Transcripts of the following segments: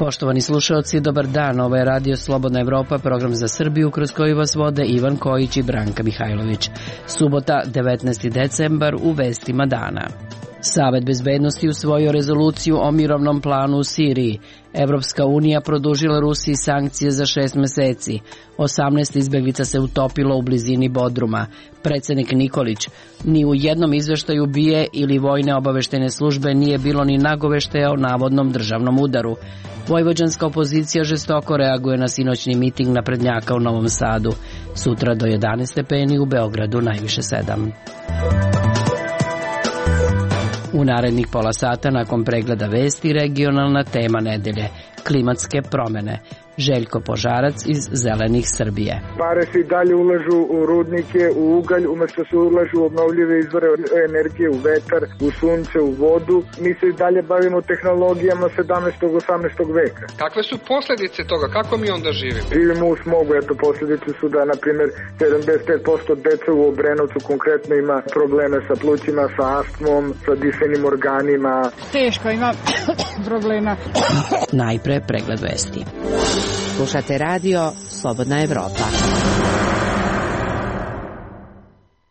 Poštovani slušalci, dobar dan. Ovo je Radio Slobodna Evropa, program za Srbiju kroz koji vas vode Ivan Kojić i Branka Mihajlović. Subota, 19. decembar, u vestima dana. Savet bezbednosti usvojio rezoluciju o mirovnom planu u Siriji. Evropska unija produžila Rusiji sankcije za 6 meseci. 18 izbeglica se utopilo u blizini Bodruma. Predsednik Nikolić: ni u jednom izveštaju BIA ili vojne obaveštene službe nije bilo ni nagoveštaja o navodnom državnom udaru. Vojvođanska opozicija žestoko reaguje na sinoćni miting naprednjaka u Novom Sadu. Sutra do 11 stepeni, u Beogradu najviše 7. U narednih pola sata, nakon pregleda vesti, regionalna tema nedelje – klimatske promene. Željko Požarac iz Zelenih Srbije. Pare se i dalje ulažu u rudnike, u ugalj, umjesto se ulažu u obnovljive izvore energije, u vetar, u sunce, u vodu. Mi se i dalje bavimo tehnologijama 17. 18. veka. Kakve su posljedice toga? Kako mi onda živimo? Živimo u smogu. Eto, posljedice su da, na primjer, 75% dece u Obrenovcu konkretno ima probleme sa plućima, sa astmom, sa dišenim organima. Teško ima problema. Najpre pregled vesti. Slušate radio Slobodna Evropa.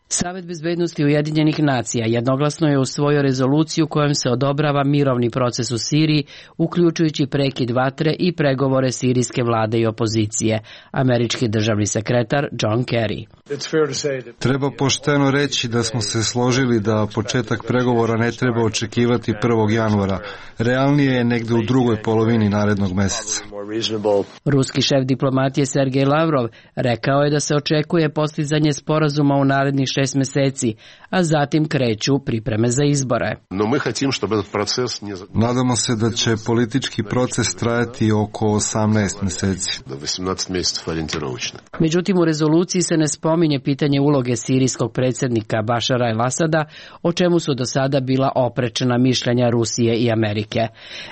Savet bezbednosti Ujedinjenih nacija jednoglasno je usvojio rezoluciju kojom se odobrava mirovni proces u Siriji, uključujući prekid vatre i pregovore sirijske vlade i opozicije. Američki državni sekretar John Kerry. Treba pošteno reći da smo se složili da početak pregovora ne treba očekivati 1. januara. Realnije je negde u drugoj polovini narednog meseca. Ruski šef diplomatije Sergej Lavrov rekao je da se očekuje postizanje sporazuma u narednih 6 meseci, a zatim kreću pripreme za izbore. Nadamo se da će politički proces trajati oko 18 meseci. Međutim, u rezoluciji se ne spominje pitanje uloge sirijskog predsjednika Bašara el-Asada, o čemu su do sada bila oprečna mišljenja Rusije i Amerike.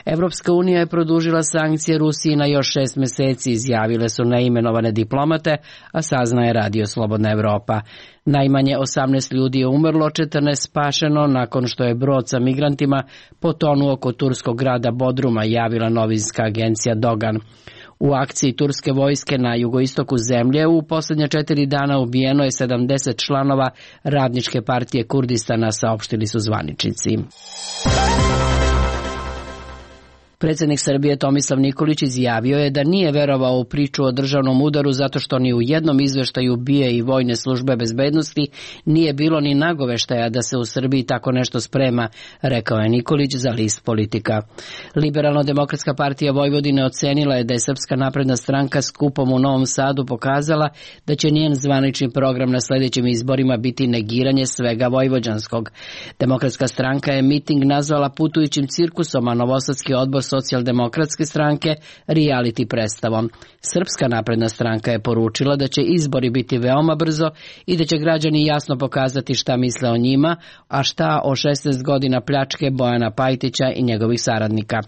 Evropska unija je produžila sankcije Rusiji na još 6 meseci, izjavile su neimenovane diplomate, a saznaje Radio Slobodna Evropa. Najmanje 18 ljudi je umrlo, 14 spašeno nakon što je brod sa migrantima potonuo kod turskog grada Bodruma, javila novinska agencija Dogan. U akciji turske vojske na jugoistoku zemlje u posljednje 4 dana ubijeno je 70 članova Radničke partije Kurdistana, saopštili su zvaničnici. Predsjednik Srbije Tomislav Nikolić izjavio je da nije verovao u priču o državnom udaru zato što ni u jednom izveštaju BIA i vojne službe bezbednosti nije bilo ni nagoveštaja da se u Srbiji tako nešto sprema, rekao je Nikolić za list Politika. Liberalno-demokratska partija Vojvodine ocenila je da je Srpska napredna stranka skupom u Novom Sadu pokazala da će njen zvanični program na sljedećim izborima biti negiranje svega vojvođanskog. Demokratska stranka je miting nazvala putujućim cirkusom, a Novosadski odbor Socijaldemokratske stranke reality predstavom. Srpska napredna stranka je poručila da će izbori biti veoma brzo i da će građani jasno pokazati šta misle o njima, a šta o 16 godina pljačke Bojana Pajtića i njegovih saradnika.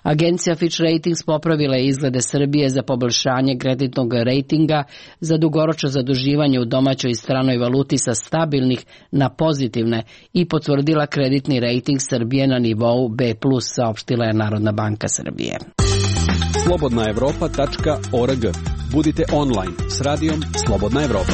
Agencija Fitch Ratings popravila je izglede Srbije za poboljšanje kreditnog rejtinga za dugoročno zaduživanje u domaćoj i stranoj valuti sa stabilnih na pozitivne i potvrdila kreditni rejting Srbije na nivou B+, saopštila je Narodna banka Srbije. slobodnaevropa.org. Budite online s radijom Slobodna Evropa.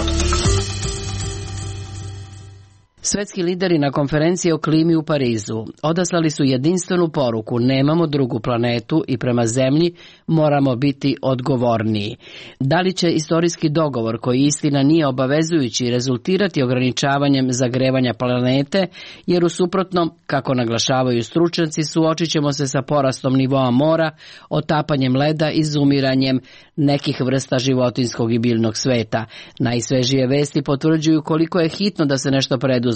Svetski lideri na konferenciji o klimi u Parizu odaslali su jedinstvenu poruku: nemamo drugu planetu i prema zemlji moramo biti odgovorniji. Da li će istorijski dogovor, koji istina nije obavezujući, rezultirati ograničavanjem zagrevanja planete, jer u suprotnom, kako naglašavaju stručnjaci, suočit ćemo se sa porastom nivoa mora, otapanjem leda i izumiranjem nekih vrsta životinjskog i biljnog sveta. Najsvežije vesti potvrđuju koliko je hitno da se nešto preduzme.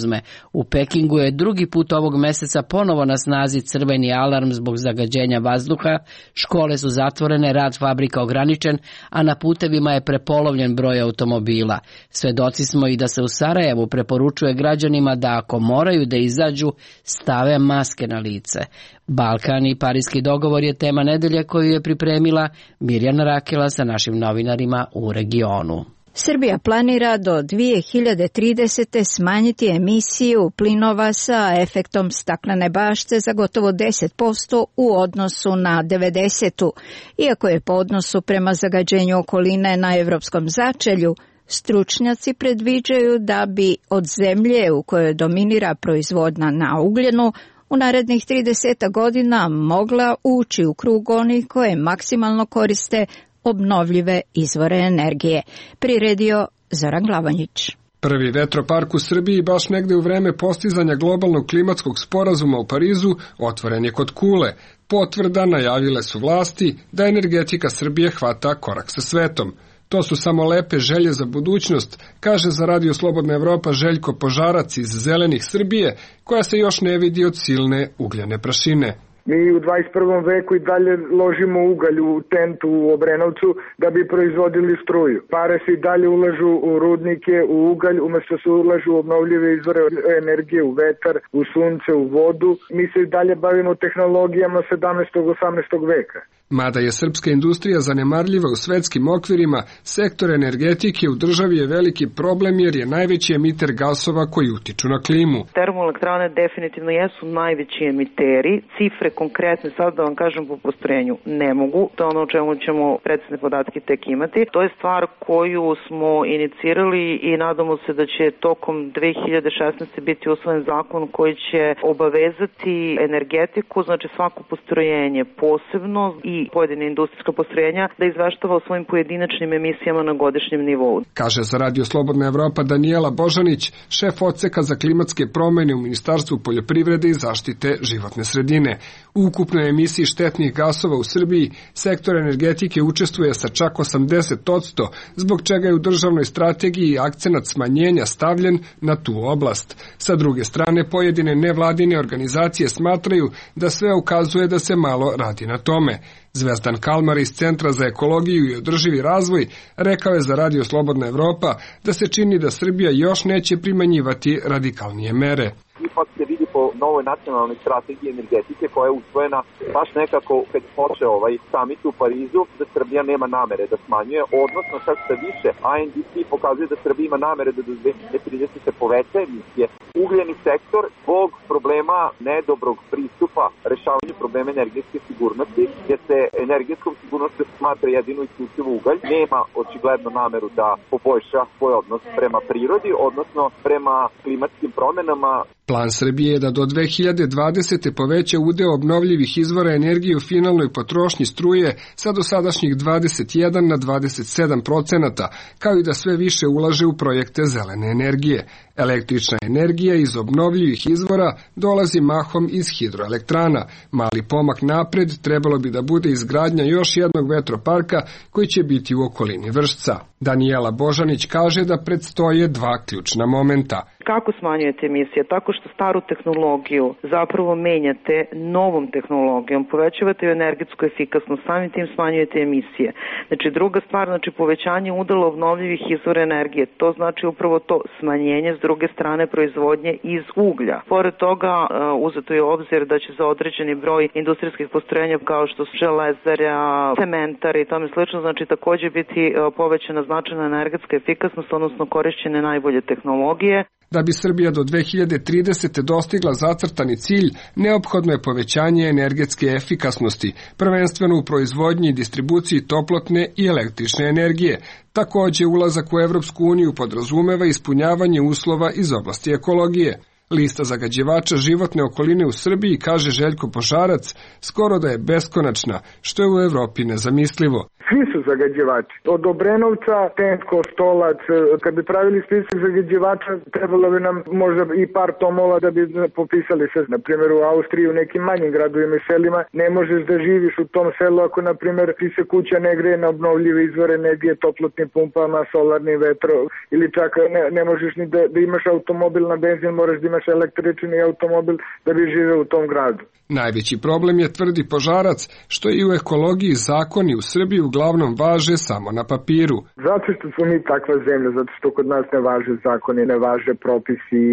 U Pekingu je drugi put ovog meseca ponovo na snazi crveni alarm zbog zagađenja vazduha, škole su zatvorene, rad fabrika ograničen, a na putevima je prepolovljen broj automobila. Svedoci smo i da se u Sarajevu preporučuje građanima da ako moraju da izađu, stave maske na lice. Balkan i Pariski dogovor je tema nedelje koju je pripremila Mirjana Rakela sa našim novinarima u regionu. Srbija planira do 2030. smanjiti emisiju plinova sa efektom staklene bašte za gotovo 10% u odnosu na 90. Iako je po odnosu prema zagađenju okoline na evropskom začelju, stručnjaci predviđaju da bi od zemlje u kojoj dominira proizvodnja na ugljenu u narednih 30 godina mogla ući u krug onih koje maksimalno koriste obnovljive izvore energije. Priredio Zoran Glavanjić. Prvi vetropark u Srbiji baš negde u vreme postizanja globalnog klimatskog sporazuma u Parizu otvoren je kod Kule. Potvrda najavile su vlasti da energetika Srbije hvata korak sa svetom. To su samo lepe želje za budućnost, kaže za Radio Slobodna Evropa Željko Požarac iz Zelenih Srbije, koja se još ne vidi od silne ugljene prašine. Mi u 21. veku i dalje ložimo ugalj u tentu u Obrenovcu da bi proizvodili struju. Pare se i dalje ulažu u rudnike, u ugalj, umesto se ulažu u obnovljive izvore energije, u vetar, u sunce, u vodu. Mi se i dalje bavimo tehnologijama 17. 18. veka. Mada je srpska industrija zanemarljiva u svetskim okvirima, sektor energetike u državi je veliki problem jer je najveći emiter gasova koji utiču na klimu. Termoelektrane definitivno jesu najveći emiteri. Cifre konkretne, sad da vam kažem po postrojenju, ne mogu. To je ono o čemu ćemo precizne podatke tek imati. To je stvar koju smo inicirali i nadamo se da će tokom 2016. biti usvojen zakon koji će obavezati energetiku, znači svako postrojenje posebno i pojedine industrijska postrojenja da izveštava o svojim pojedinačnim emisijama na godišnjem nivou. Kaže za Radio Slobodna Evropa Danijela Božanić, šef odseka za klimatske promene u Ministarstvu poljoprivrede i zaštite životne sredine. U ukupnoj emisiji štetnih gasova u Srbiji sektor energetike učestvuje sa čak 80%, zbog čega je u državnoj strategiji akcenat smanjenja stavljen na tu oblast. Sa druge strane, pojedine nevladine organizacije smatraju da sve ukazuje da se malo radi na tome. Zvezdan Kalmar iz Centra za ekologiju i održivi razvoj rekao je za Radio Slobodna Evropa da se čini da Srbija još neće primenjivati radikalnije mere. Ipak se vidi po novoj nacionalnoj strategiji energetike koja je usvojena baš nekako kad počeo ovaj samit u Parizu, da Srbija nema namere da smanjuje, odnosno čak što više INDC pokazuje da Srbija ima namere da do 2030 se poveća emisije. Ugljeni sektor zbog problema nedobrog pristupa rešavanju problema energetske sigurnosti, jer se energetskom sigurnosti smatra jedino isključivo ugalj, nema očigledno nameru da poboljša svoj odnos prema prirodi, odnosno prema klimatskim promenama. Plan Srbije je da do 2020. poveća udeo obnovljivih izvora energije u finalnoj potrošnji struje sa dosadašnjih 21 na 27%, kao i da sve više ulaže u projekte zelene energije. Električna energija iz obnovljivih izvora dolazi mahom iz hidroelektrana. Mali pomak napred trebalo bi da bude izgradnja još jednog vetroparka koji će biti u okolini Vršca. Danijela Božanić kaže da predstoje dva ključna momenta. Kako smanjujete emisije? Tako što staru tehnologiju zapravo menjate novom tehnologijom, povećavate energetsku efikasnost, samim tim smanjujete emisije. Znači druga stvar, znači povećanje udela obnovljivih izvora energije, to znači upravo to smanjenje s druge strane proizvodnje iz uglja. Pored toga uzeto je obzir da će za određeni broj industrijskih postrojenja kao što su železara, cementari i tome slično, znači također biti povećana značajna energetska efikasnost, odnosno korišćenje najbolje tehnologije. Da bi Srbija do 2030. dostigla zacrtani cilj, neophodno je povećanje energetske efikasnosti, prvenstveno u proizvodnji i distribuciji toplotne i električne energije. Također, ulazak u Evropsku uniju podrazumeva ispunjavanje uslova iz oblasti ekologije. Lista zagađivača životne okoline u Srbiji, kaže Željko Požarac, skoro da je beskonačna, što je u Evropi nezamislivo. Svi su zagađivači. Od Obrenovca, Tent, Kostolac, kad bi pravili spisak zagađivača, trebalo bi nam možda i par tomova da bi popisali sve. Na primjer, u Austriji, u nekim manjim gradovima i selima, ne možeš da živiš u tom selu ako, na primjer, ti se kuća ne greje na obnovljive izvore energije, toplotnim pumpama, solarnim vetro, ili čak ne možeš ni da imaš automobil na benzin, moraš da imaš električni automobil da bi živeo u tom gradu. Najveći problem je, tvrdi Požarac, što i u ekologiji zakoni u Srbiji uglavnom važe samo na papiru. Zato što smo mi takva zemlja, zato što kod nas ne važe zakoni, ne važe propisi.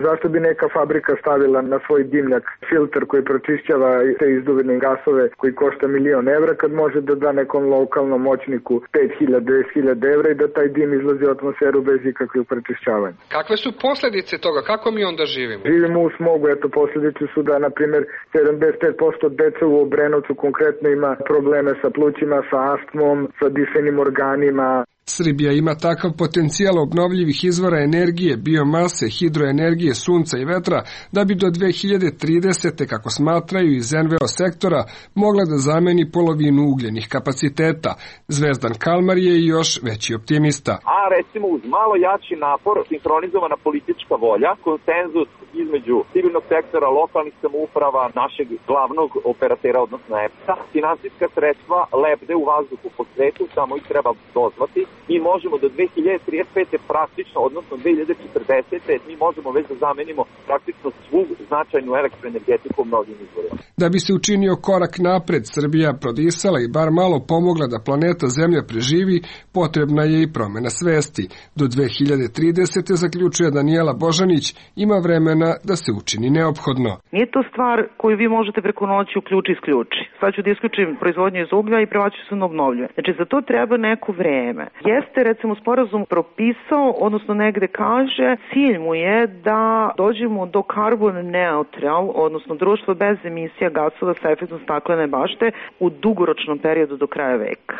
Zašto bi neka fabrika stavila na svoj dimnjak filter koji pročišćava te izduvene gasove koji košta €1.000.000 kad može da da nekom lokalnom moćniku 5.000-10.000 evra i da taj dim izlazi u atmosferu bez ikakvih prečišćavanja. Kakve su posljedice toga? Kako mi onda živimo? Živimo u smogu, eto posljedice su da, na primjer, 75% dece u Obrenovcu konkretno ima probleme sa plućima, sa astmom, sa dišenim organima. Srbija ima takav potencijal obnovljivih izvora energije, biomase, hidroenergije, sunca i vetra, da bi do 2030. kako smatraju iz NVO sektora, mogla da zameni polovinu ugljenih kapaciteta. Zvezdan Kalmar je još veći optimista. A recimo uz malo jači napor, sinhronizovana politička volja, konsenzus između civilnog sektora, lokalnih samouprava, našeg glavnog operatera, odnosno EPS-a, finansijska sredstva lebde u vazduhu po svetu, samo ih treba dozvati. Mi možemo do 2035. praktično, odnosno 2040. mi možemo već da zamenimo praktično svu značajnu elektroenergetiku obnovljivim izvorima. Da bi se učinio korak napred, Srbija prodisala i bar malo pomogla da planeta Zemlja preživi, potrebna je i promena svesti. Do 2030. zaključuje Danijela Božanić, ima vremena da se učini neophodno. Nije to stvar koju vi možete preko noći isključi. Sad ću da isključim proizvodnju iz uglja i prebaću se na obnovljive. Znači za to treba neko vreme. Jeste recimo sporazum propisao, odnosno negde kaže, cilj mu je da dođemo do carbon neutral, odnosno društvo bez emisija gasova sa efektom staklene bašte u dugoročnom periodu do kraja veka.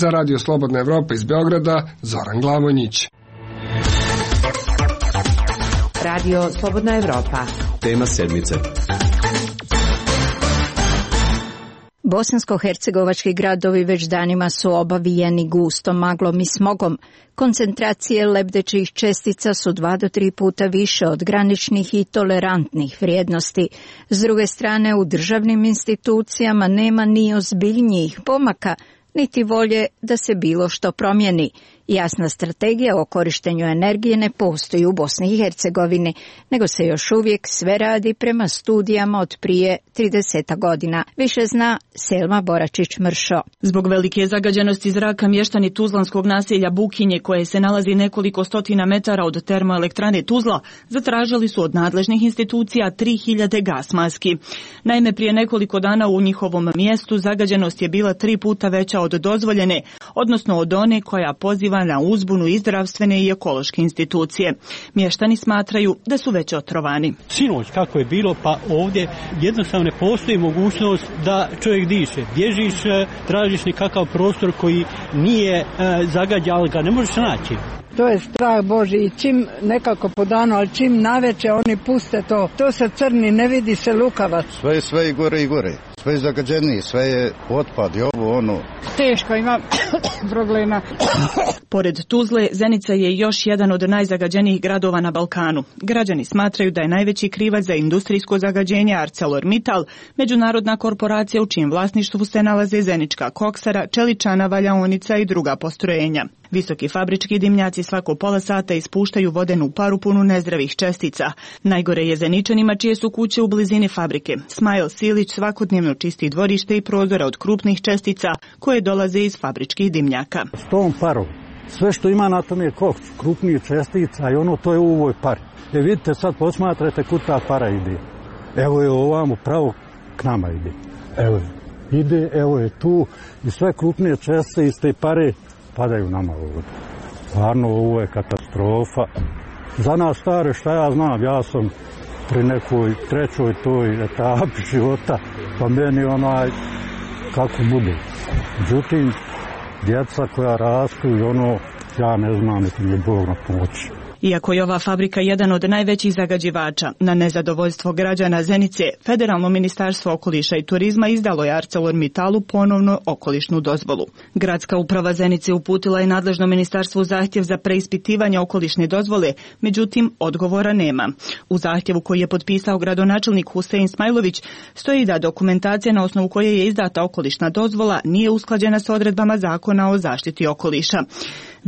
Za Radio Slobodna Evropa iz Beograda, Zoran Glavonjić. Radio Slobodna Evropa. Tema sedmice. Bosansko-hercegovački gradovi već danima su obavijeni gustom maglom i smogom. Koncentracije lebdećih čestica su 2 do 3 puta više od graničnih i tolerantnih vrijednosti. S druge strane, u državnim institucijama nema ni ozbiljnijih pomaka, niti volje da se bilo što promijeni. Jasna strategija o korištenju energije ne postoji u Bosni i Hercegovini, nego se još uvijek sve radi prema studijama od prije 30 godina. Više zna Selma Boračić-Mršo. Zbog velike zagađenosti zraka mještani tuzlanskog naselja Bukinje, koje se nalazi nekoliko stotina metara od termoelektrane Tuzla, zatražili su od nadležnih institucija 3000 gas maski. Naime, prije nekoliko dana u njihovom mjestu zagađenost je bila 3 puta veća od dozvoljene, odnosno od one koja poziva na uzbunu i zdravstvene i ekološke institucije. Mještani smatraju da su već otrovani. Sinoć kako je bilo, pa ovdje jednostavno ne postoji mogućnost da čovjek diše. Bježiš, tražiš nekakav prostor koji nije zagađen, ali ga ne možeš naći. To je strah Boži i čim nekako po danu, ali čim naveče oni puste to se crni, ne vidi se lukavac. Sve i gore i gore. Sve je zagađeniji, sve je otpad i ovo ono. Teško ima problema. Pored Tuzle, Zenica je još jedan od najzagađenijih gradova na Balkanu. Građani smatraju da je najveći krivac za industrijsko zagađenje ArcelorMittal, međunarodna korporacija u čijem vlasništvu se nalaze Zenička koksara, čeličana, valjaonica i druga postrojenja. Visoki fabrički dimnjaci svako pola sata ispuštaju vodenu paru punu nezdravih čestica. Najgore je Zeničanima čije su kuće u blizini fabrike. Smajl Silić svakodnevno čisti dvorište i prozore od krupnih čestica koje dolaze iz fabričkih dimnjaka. S tom parom, sve što ima na tom je koks, krupnih čestica i ono to je u ovoj pari. Vidite sad, posmatrate kud ta para ide. Evo je ovamo, pravo k nama ide. Evo ide, evo je tu i sve krupnije čestice iz te pare padaju nama ovdje. Stvarno ovo je katastrofa. Za nas stare, šta ja znam, ja sam pri nekoj trećoj toj etapi života, pa meni kako bude. Međutim, djeca koja rastu i ja ne znam, niti mi je Bog na pomoći. Iako je ova fabrika jedan od najvećih zagađivača, na nezadovoljstvo građana Zenice, Federalno ministarstvo okoliša i turizma izdalo je ArcelorMittalu ponovno okolišnu dozvolu. Gradska uprava Zenice uputila je nadležno ministarstvu zahtjev za preispitivanje okolišne dozvole, međutim odgovora nema. U zahtjevu koji je potpisao gradonačelnik Husein Smajlović stoji da dokumentacija na osnovu koje je izdata okolišna dozvola nije usklađena s odredbama Zakona o zaštiti okoliša.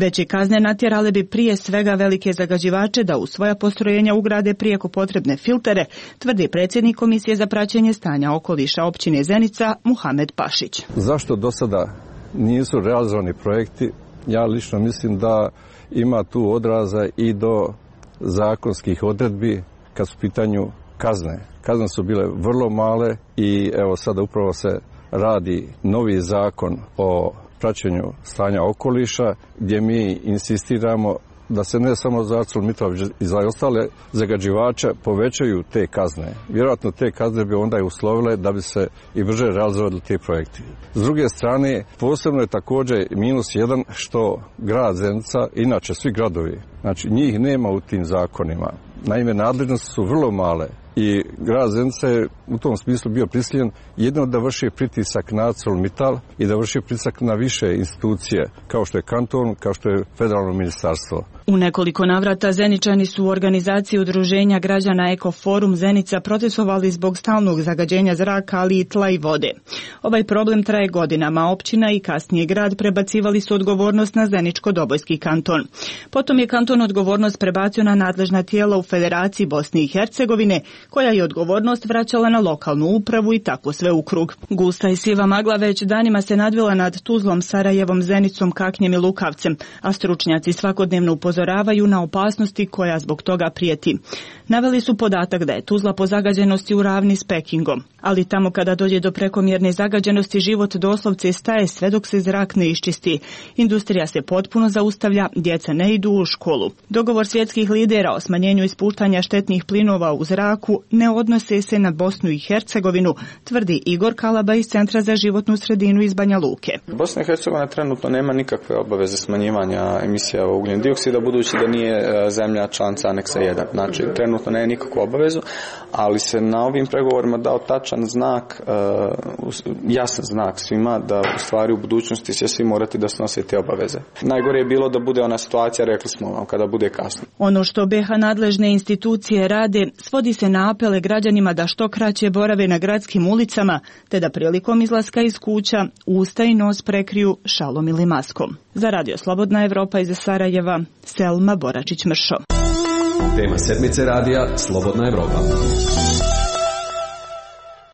Veće kazne natjerale bi prije svega velike zagađivače da u svoja postrojenja ugrade prijeko potrebne filtere, tvrdi predsjednik Komisije za praćenje stanja okoliša općine Zenica Muhamed Pašić. Zašto do sada nisu realizovani projekti? Ja lično mislim da ima tu odraza i do zakonskih odredbi kad su u pitanju kazne. Kazne su bile vrlo male i evo sada upravo se radi novi zakon o praćenju stanja okoliša gdje mi insistiramo da se ne samo za ArcelorMittal i za ostale zagađivače povećaju te kazne. Vjerojatno te kazne bi onda i uslovile da bi se i brže realizovali te projekti. S druge strane, posebno je također -1 što grad Zenica, inače svi gradovi, znači njih nema u tim zakonima. Naime, nadležnosti su vrlo male i grad Zenica je u tom smislu bio prisiljen jedino da vrši pritisak na ArcelorMittal i da vrši pritisak na više institucije, kao što je kanton, kao što je federalno ministarstvo. U nekoliko navrata Zeničani su u organizaciji udruženja građana Ekoforum Zenica protestovali zbog stalnog zagađenja zraka, ali i tla i vode. Ovaj problem traje godinama. Općina i kasnije grad prebacivali su odgovornost na Zeničko-Dobojski kanton. Potom je kanton odgovornost prebacio na nadležna tijela u Federaciji Bosne i Hercegovine, koja je odgovornost vraćala na lokalnu upravu i tako sve u krug. Gusta i siva magla već danima se nadvila nad Tuzlom, Sarajevom, Zenicom, Kaknjem i Lukavcem, a stručnjaci svakodnevno upozoravaju na opasnosti koja zbog toga prijeti. Naveli su podatak da je Tuzla po zagađenosti u ravni s Pekingom, ali tamo kada dođe do prekomjerne zagađenosti život doslovce staje sve dok se zrak ne iščisti. Industrija se potpuno zaustavlja, djeca ne idu u školu. Dogovor svjetskih lidera o smanjenju ispuštanja štetnih plinova u zraku ne odnose se na Bosnu i Hercegovinu, tvrdi Igor Kalaba iz Centra za životnu sredinu iz Banja Luke. Bosna i Hercegovina trenutno nema nikakve obaveze smanjivanja emisija ugljen dioksida, budući da nije zemlja članica aneksa 1. Znači, trenutno nema nikakvu obavezu, ali se na ovim pregovorima dao tačan znak, jasan znak svima da u stvari u budućnosti će svi morati da snose te obaveze. Najgore je bilo da bude ona situacija, rekli smo vam, kada bude kasno. Ono što BiH nadležne institucije rade svodi se na apele građanima da što kraće borave na gradskim ulicama, te da prilikom izlaska iz kuća usta i nos prekriju šalom ili maskom. Za Radio Slobodna Evropa iz Sarajeva, Selma Boračić-Mršo. Tema sedmice radija Slobodna Evropa.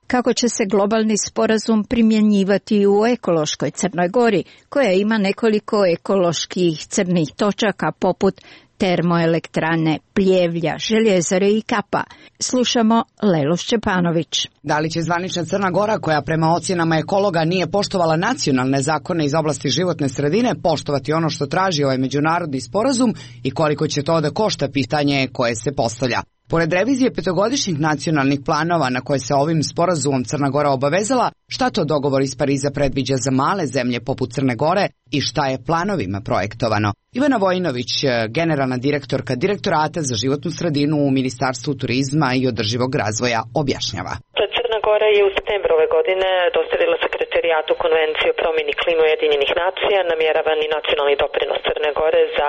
Kako će se globalni sporazum primjenjivati u ekološkoj Crnoj Gori, koja ima nekoliko ekoloških crnih točaka poput termoelektrane Pljevlja, Željezare i Kapa. Slušamo Lelu Šćepanović. Da li će zvanična Crna Gora, koja prema ocjenama ekologa nije poštovala nacionalne zakone iz oblasti životne sredine, poštovati ono što traži ovaj međunarodni sporazum i koliko će to da košta, pitanje koje se postavlja. Pored revizije petogodišnjih nacionalnih planova na koje se ovim sporazumom Crna Gora obavezala, šta to dogovor iz Pariza predviđa za male zemlje poput Crne Gore i šta je planovima projektovano? Ivana Vojinović, generalna direktorka Direktorata za životnu sredinu u Ministarstvu turizma i održivog razvoja, objašnjava. Crna Gora je u septembru ove godine dostavila sekretarijatu Konvencije o promjeni klime Ujedinjenih nacija namjeravani nacionalni doprinos Crne Gore za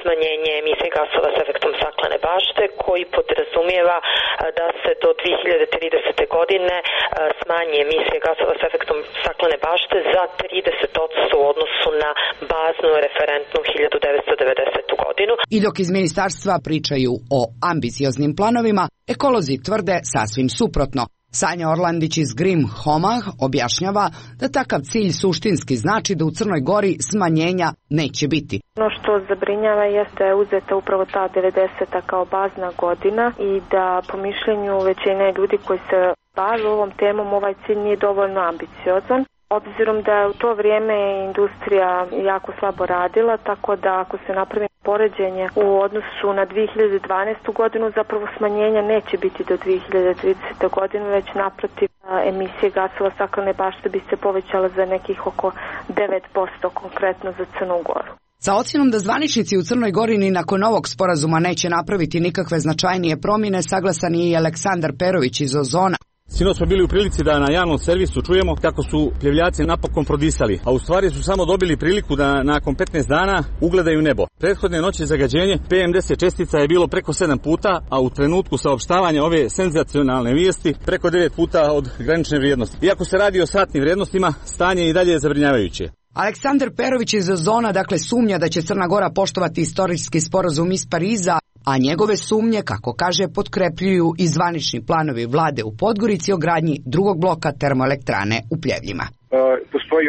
smanjenje emisije gasova s efektom staklene bašte, koji podrazumijeva da se do 2030. godine smanji emisije gasova s efektom staklene bašte za 30% u odnosu na baznu referentnu 1990. godinu. I dok iz ministarstva pričaju o ambicioznim planovima, ekolozi tvrde sasvim suprotno. Sanja Orlandić iz Grim Homah objašnjava da takav cilj suštinski znači da u Crnoj Gori smanjenja neće biti. Ono što zabrinjava jeste da je uzeta upravo ta 90. kao bazna godina i da po mišljenju većine ljudi koji se bave ovom temom ovaj cilj nije dovoljno ambiciozan. Obzirom da je u to vrijeme industrija jako slabo radila, tako da ako se napravi poređenje u odnosu na 2012. godinu, zapravo smanjenja neće biti do 2030. godine, već naprotiv emisije gasova staklene bašte bi se povećala za nekih oko 9% konkretno za Crnu Goru. Sa ocjenom da zvaničnici u Crnoj Gori ni nakon ovog sporazuma neće napraviti nikakve značajnije promjene, saglasan je i Aleksandar Perović iz Ozona. Sinoć smo bili u prilici da na javnom servisu čujemo kako su pljevljaci napokon prodisali, a u stvari su samo dobili priliku da nakon 15 dana ugledaju nebo. Prethodne noći zagađenje PM10 čestica je bilo preko 7 puta, a u trenutku saopštavanja ove senzacionalne vijesti preko 9 puta od granične vrijednosti. Iako se radi o satnim vrijednostima, stanje i dalje je zabrinjavajuće. Aleksandar Perović iz Ozona dakle sumnja da će Crna Gora poštovati istorijski sporazum iz Pariza, a njegove sumnje, kako kaže, potkrepljuju i zvanični planovi vlade u Podgorici o gradnji drugog bloka termoelektrane u Pljevljima. Postoji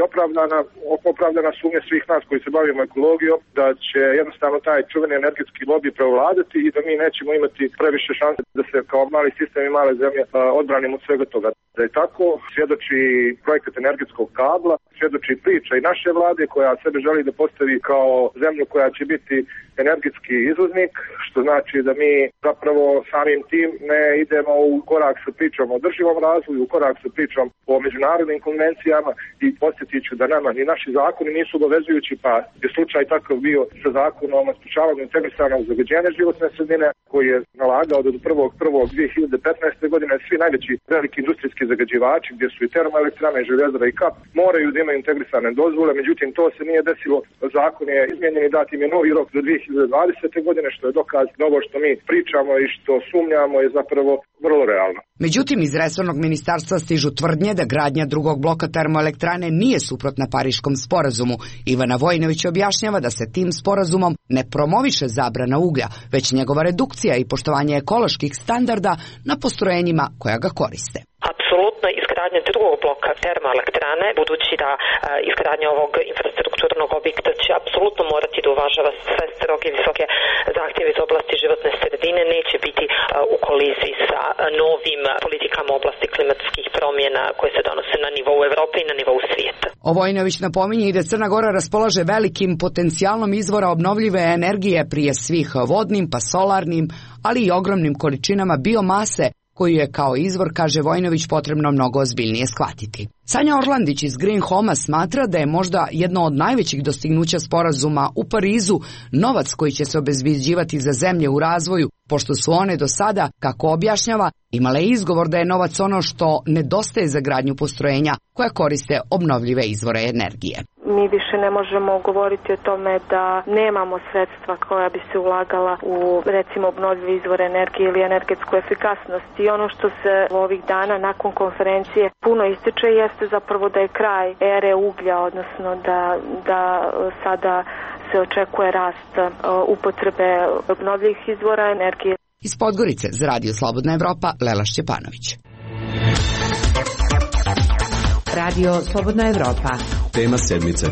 opravdana sumnja svih nas koji se bavimo ekologijom da će jednostavno taj čuveni energetski lobby prevladati i da mi nećemo imati previše šanse da se kao mali sistem i male zemlje odbranimo od svega toga. Da je tako, svjedoči projekat energetskog kabla, svjedoči priča i naše vlade koja sebe želi da postavi kao zemlju koja će biti energetski izvoznik, što znači da mi zapravo samim tim ne idemo u korak sa pričom o održivom razvoju, u korak sa pričom o međunarodnim konvencijama i podsjetit ću da nama ni naši zakoni nisu obavezujući, pa je slučaj takav bio sa zakonom o sprečavanju integrisanog zagađenja životne sredine koji je nalagao da do 1.1.2015. godine svi najveći veliki industrijski zagađivači, gdje su i termoelektrane, i Željezara i KAP, moraju da imaju integrisane dozvole, međutim to se nije desilo, zakon je izmijenjen i dat im je novi rok do 2020. godine, što je dokaz da ovo što mi pričamo i što sumnjamo je zapravo vrlo realno. Međutim, iz resornog ministarstva stižu tvrdnje da gradnja drugog bloka termoelektrane nije suprotna Pariškom sporazumu. Ivana Vojinović objašnjava da se tim sporazumom ne promoviše zabrana uglja, već njegova redukcija i poštovanje ekoloških standarda na postrojenjima koja ga koriste. Apsolutno izgradnja drugog bloka termoelektrane, budući da izgradnja ovog infrastrukturnog objekta će apsolutno morati da uvažava sve stroge visoke zahtjeve iz oblasti životne sredine, neće biti u koliziji sa novim politikama u oblasti klimatskih promjena koje se donose na nivou Evrope i na nivou svijeta. Vojinović napominje i da Crna Gora raspolaže velikim potencijalom izvora obnovljive energije, prije svih vodnim pa solarnim, ali i ogromnim količinama biomase, koju je kao izvor, kaže Vojinović, potrebno mnogo ozbiljnije shvatiti. Sanja Orlandić iz Green Home-a smatra da je možda jedno od najvećih dostignuća sporazuma u Parizu novac koji će se obezbeđivati za zemlje u razvoju, pošto su one do sada, kako objašnjava, imale izgovor da je novac ono što nedostaje za gradnju postrojenja koja koriste obnovljive izvore energije. Mi više ne možemo govoriti o tome da nemamo sredstva koja bi se ulagala u, recimo, obnovljive izvore energije ili energetsku efikasnost. I ono što se ovih dana nakon konferencije puno ističe jeste zapravo da je kraj ere uglja, odnosno da sada se očekuje rast upotrebe obnovljivih izvora energije. Iz Podgorice za Radio Slobodna Evropa, Lela Šćepanović. Radio Slobodna Evropa. Tema sedmice.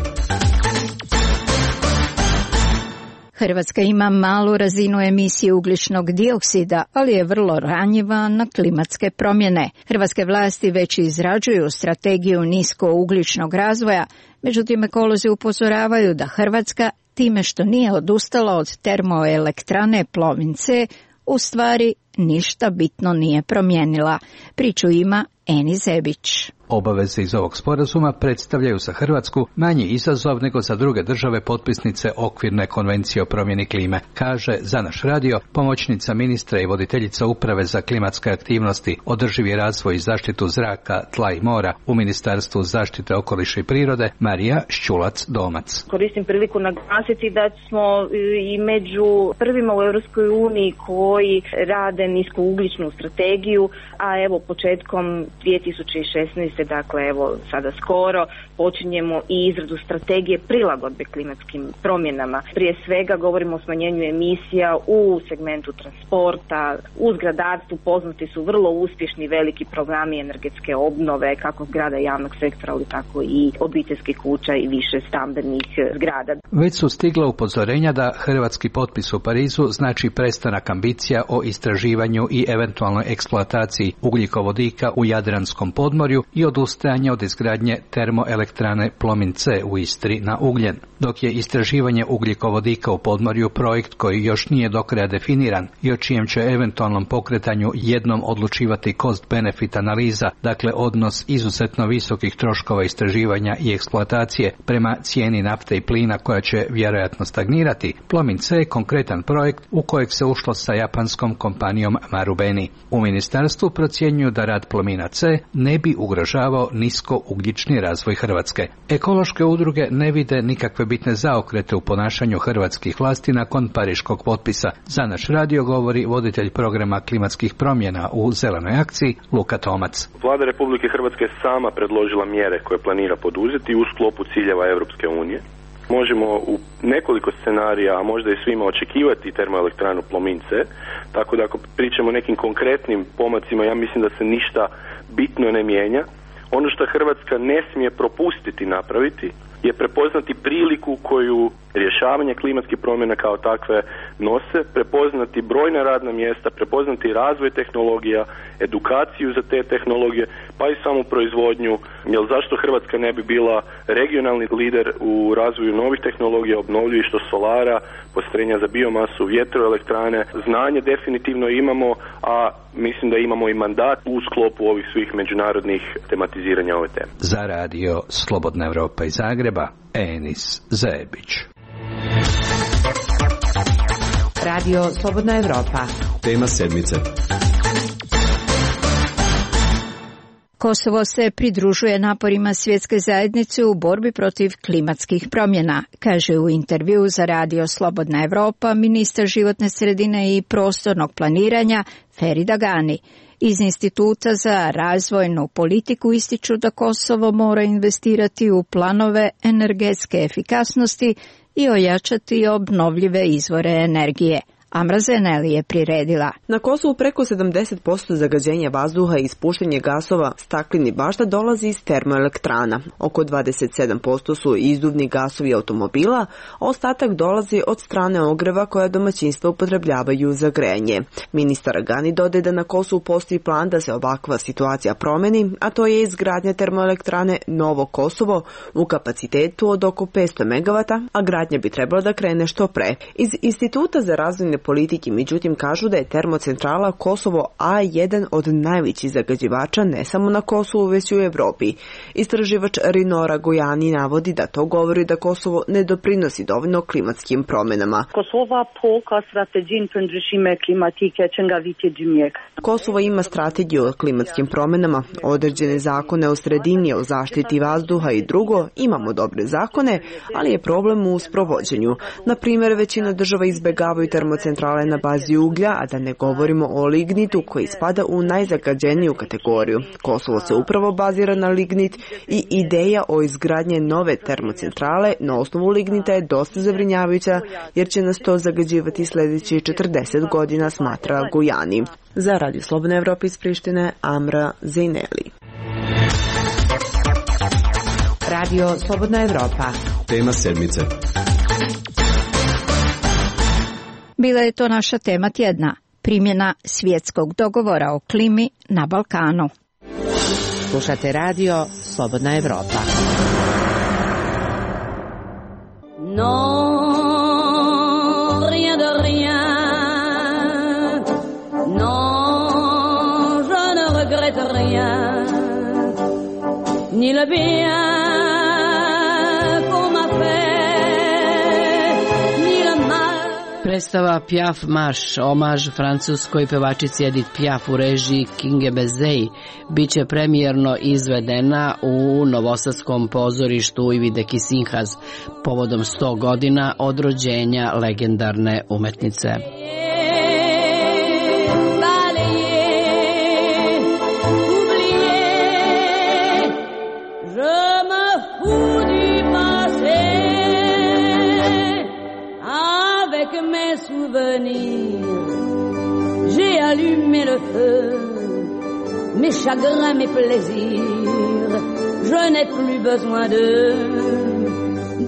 Hrvatska ima malu razinu emisije ugljičnog dioksida, ali je vrlo ranjiva na klimatske promjene. Hrvatske vlasti već izrađuju strategiju niskougljičnog razvoja, međutim ekolozi upozoravaju da Hrvatska, time što nije odustala od termoelektrane Plomin C, u stvari ništa bitno nije promijenila. Priču ima Eni Zebić. Obaveze iz ovog sporazuma predstavljaju za Hrvatsku manji izazov nego za druge države potpisnice okvirne konvencije o promjeni klime, kaže za naš radio pomoćnica ministra i voditeljica uprave za klimatske aktivnosti, održivi razvoj i zaštitu zraka, tla i mora u Ministarstvu zaštite okoliša i prirode Marija Šćulac-Domac. Koristim priliku naglasiti da smo i među prvima u Europskoj uniji koji rade niskougljičnu strategiju, a evo početkom 2016. dakle evo sada skoro počinjemo i izradu strategije prilagodbe klimatskim promjenama. Prije svega govorimo o smanjenju emisija u segmentu transporta, u zgradarstvu poznati su vrlo uspješni veliki programi energetske obnove kako zgrada javnog sektora, ali tako i obiteljskih kuća i više stambenih zgrada. Već su stigla upozorenja da hrvatski potpis u Parizu znači prestanak ambicija o istraživanju i eventualnoj eksploataciji ugljikovodika u Jadranskom podmorju i odustajanje od izgradnje termoelektrane Plomin C u Istri na ugljen. Dok je istraživanje ugljikovodika u podmorju projekt koji još nije do kraja definiran i o čijem će eventualnom pokretanju jednom odlučivati cost-benefit analiza, dakle odnos izuzetno visokih troškova istraživanja i eksploatacije prema cijeni nafte i plina koja će vjerojatno stagnirati. Plomin C je konkretan projekt u kojeg se ušlo sa japanskom kompanijom Marubeni. U ministarstvu procjenjuju da rad Plomina C ne bi ugrožavao niskougljični razvoj Hrvatske. Ekološke udruge ne vide nikakve bitne zaokrete u ponašanju hrvatskih vlasti nakon pariškog potpisa. Za naš radio govori voditelj programa klimatskih promjena u Zelenoj akciji Luka Tomac. Vlada Republike Hrvatske je sama predložila mjere koje planira poduzeti u sklopu ciljeva Europske unije. Možemo u nekoliko scenarija, a možda i svima, očekivati termoelektranu Plomin C, tako da ako pričamo o nekim konkretnim pomacima, ja mislim da se ništa bitno ne mijenja. Ono što Hrvatska ne smije propustiti napraviti je prepoznati priliku koju rješavanje klimatskih promjena kao takve nose, prepoznati brojna radna mjesta, prepoznati razvoj tehnologija, edukaciju za te tehnologije, pa i samu proizvodnju. Jer zašto Hrvatska ne bi bila regionalni lider u razvoju novih tehnologija, obnovljivih, što solara, postrojenja za biomasu, vjetroelektrane. Znanje definitivno imamo, a mislim da imamo i mandat u sklopu ovih svih međunarodnih tematiziranja ove teme. Za radio Slobodna Evropa iz Zagreba, Enis Zebić. Radio Slobodna Evropa. Tema sedmice. Kosovo se pridružuje naporima svjetske zajednice u borbi protiv klimatskih promjena, kaže u intervjuu za radio Slobodna Evropa ministar životne sredine i prostornog planiranja Ferida Gani. Iz Instituta za razvojnu politiku ističu da Kosovo mora investirati u planove energetske efikasnosti i ojačati obnovljive izvore energije. Amra Zeneli je priredila. Na Kosovu preko 70% zagađenja vazduha i ispuštanje gasova staklenih bašta dolazi iz termoelektrana. Oko 27% su izduvni gasovi automobila, a ostatak dolazi od strane ogreva koja domaćinstva upotrebljavaju za grejanje. Ministar Gani dodaje da na Kosovu postoji plan da se ovakva situacija promeni, a to je izgradnja termoelektrane Novo Kosovo u kapacitetu od oko 500 MW, a gradnja bi trebala da krene što pre. Iz Instituta za razvojne politike, međutim, kažu da je termocentrala Kosovo A jedan od najvećih zagađivača ne samo na Kosovu, već i u Evropi. Istraživač Rinora Gojani navodi da to govori da Kosovo ne doprinosi dovoljno klimatskim promjenama. Kosovo ima strategiju o klimatskim promjenama, određene zakone o sredini, o zaštiti vazduha i drugo, imamo dobre zakone, ali je problem u sprovođenju. Na primjer, većina država izbjegavaju termocentrale na bazi uglja, a da ne govorimo o lignitu koji spada u najzagađeniju kategoriju. Kosovo se upravo bazira na lignit i ideja o izgradnje nove termocentrale na osnovu lignita je dosta zabrinjavajuća jer će nas to zagađivati sljedećih 40 godina, smatra Gujani. Za Radio Slobodna Evropa iz Prištine, Amra Zeneli. Radio Slobodna Evropa. Tema sedmice. Bila je to naša tema tjedna, primjena svjetskog dogovora o klimi na Balkanu. Slušate radio Slobodna Evropa. Non, rien de rien. Non, je ne regrette rien. Ni le bien. Predstava Piaf marš, omaž francuskoj pevačici Edith Piaf u režiji Kinge Bezei, biće premijerno izvedena u novosadskom pozorištu Ivide Kisinhas povodom 100 godina od rođenja legendarne umetnice. J'ai allumé le feu, mes chagrins, mes plaisirs. Je n'ai plus besoin de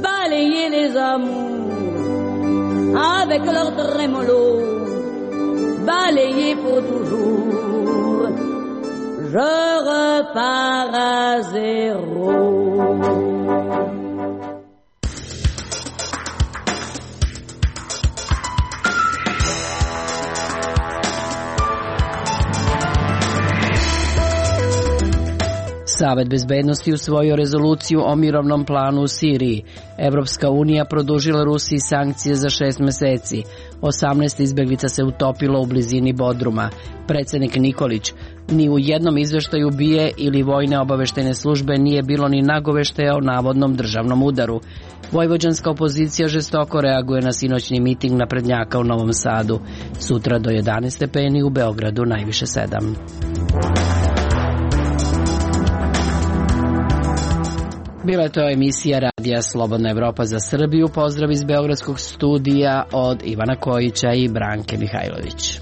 balayer les amours avec leur trémolo, balayer pour toujours. Je repars à zéro. Savet bezbednosti usvojio rezoluciju o mirovnom planu u Siriji. Evropska unija produžila Rusiji sankcije za 6 meseci. 18 izbeglica se utopilo u blizini Bodruma. Predsjednik Nikolić: ni u jednom izveštaju BIA ili vojne obaveštene službe nije bilo ni nagoveštaja o navodnom državnom udaru. Vojvođanska opozicija žestoko reaguje na sinoćni miting naprednjaka u Novom Sadu. Sutra do 11 stepeni, u Beogradu najviše 7. Bila je to emisija Radija Slobodna Evropa za Srbiju. Pozdrav iz beogradskog studija od Ivana Kojića i Branke Mihajlović.